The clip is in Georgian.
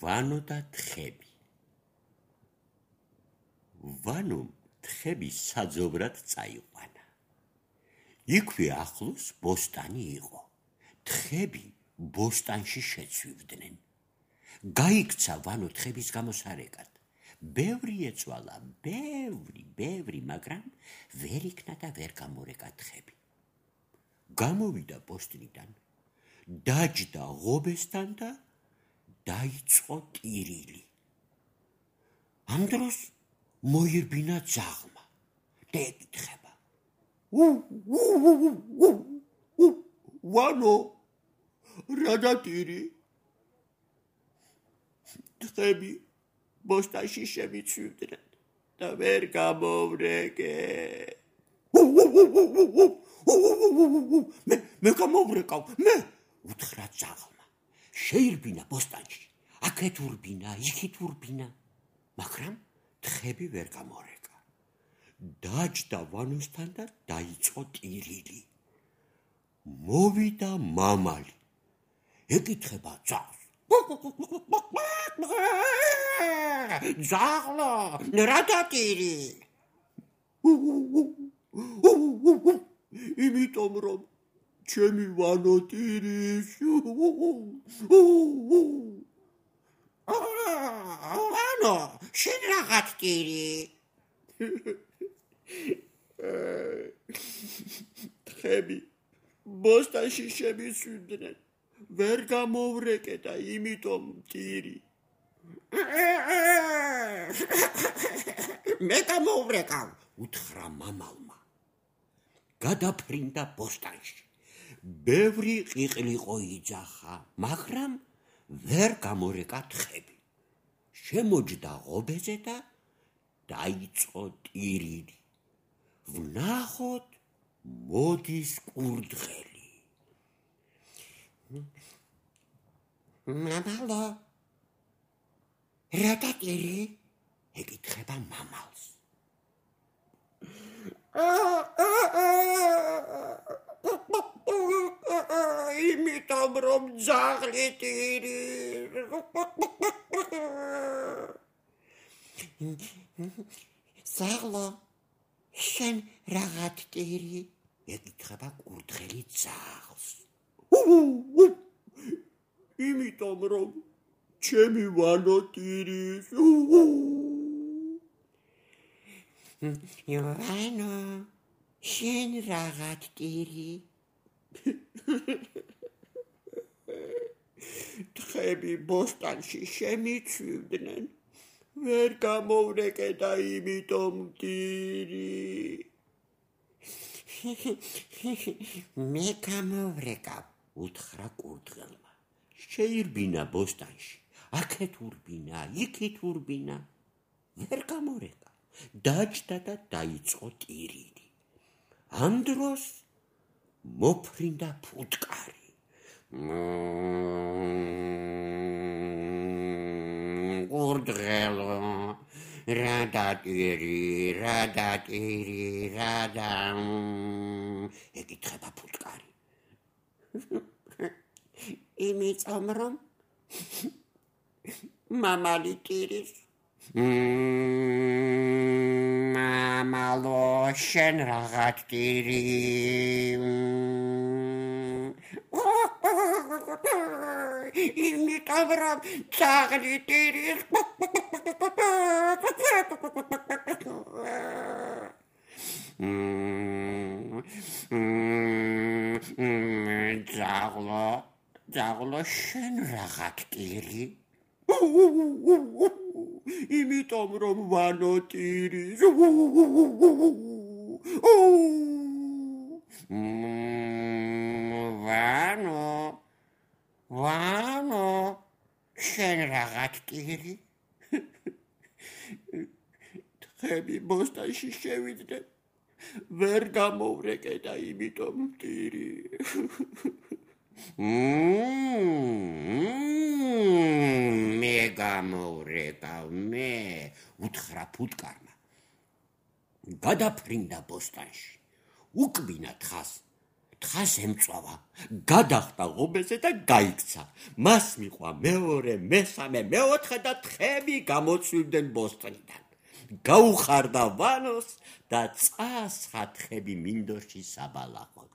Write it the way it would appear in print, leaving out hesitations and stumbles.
ვანო და თხები. ვანომ თხები საძოვრად წაიყვანა. იქვე ახლოს ბოსტანი იყო. თხები ბოსტანში შეცვივდნენ. გაიქცა ვანო თხების გამოსარეკად. ბევრი ეცვალა, ბევრი, მაგრამ ვერ იქნა და ვერ გამორეკა თხები. გამოვიდა ბოსტნიდან, დაჯდა ღობესთან და დაიწყო ტირილი. ამ დროს მოირბინა ძაღლმა და ეკითხება: ვანო, რა დატირი? თხები ბოსტანში შემიცვივდნენ და ვერ გამოვრეკე. მე გამოვრეკავ, მე, უთხრა ძაღლმა. შეირბინა ბოსტანში, აქეთ ურბინა, იქით ურბინა, მაგრამ თხები ვერ გამორეკა. დაჯდა ვანოსთან და დაიწყო ტირილი. მოვიდა მამალი, ეკითხება ძაღლს: ძაღლო, რა დატირი? იმიტომ რომ ჩემი ვანო ტირის. ვანო, შენ რაღაც ტირი? თხები ბოსტანში შემიცვივდნენ, ვერ გამოვრეკე და იმიტომ ტირი. მე გამოვრეკავ, უთხრა მამალმა. გადაფრინდა ბოსტანში. ბევრი ყიყლიყო იძახა, მაგრამ ვერ გამორეკა თხები. შემოჯდა ღობეზე და დაიწყო ტირილი. ვნახოთ, მოდის კურდღელი. მამალო, რა დატირი? ეკითხება მამალს. იმიტომ რომ ძაღლი ტირის. ძაღლო, შენ რაღაც ტირი? ეკითხება კურდღელი ძაღლს. იმიტომ რომ ჩემი ვანო ტირის. ვანო, შენ რაღაც ტირი? თხები ბოსტანში შემიცვივდნენ, ვერ გამოვრეკე და იმიტომ ტირი. მე გამოვრეკავ, უთხრა კურდღელმა. შეირბინა ბოსტანში, აქეთ ურბინა, იქით ურბინა, ვერ გამორეკა. დაჯდა და დაიწყო ტირილი. ამ დროს მოფრინდა ფუტკარი. კურდღელო, რა დატირი? ეკითხება ფუტკარი. იმიტომ რომ მამალი ტირის. მამალო, შენ რაღაც ტირი? იმიტომ რომ ძაღლი ტირის. ძაღლო, შენ რაღაც ტირი? იმიტომ რომ ვანო ტირის. ვანო, შენ რაღაც ტირი? თხები ბოსტანში შევიდნენ, ვერ გამოვრეკე და იმიტომ ტირი. მე გამოვრეკავ, მე, უთხრა ფუტკარმა. გადაფრინდა ბოსტანში, უკბინა თხას. თხას ემწვავა, გადახტა ღობეზე და გაიქცა. მას მიყვა მეორე, მესამე, მეოთხე და თხები გამოცვივდნენ ბოსტნიდან. გაუხარდა ვანოს და წასხა თხები მინდორში საბალახოდ.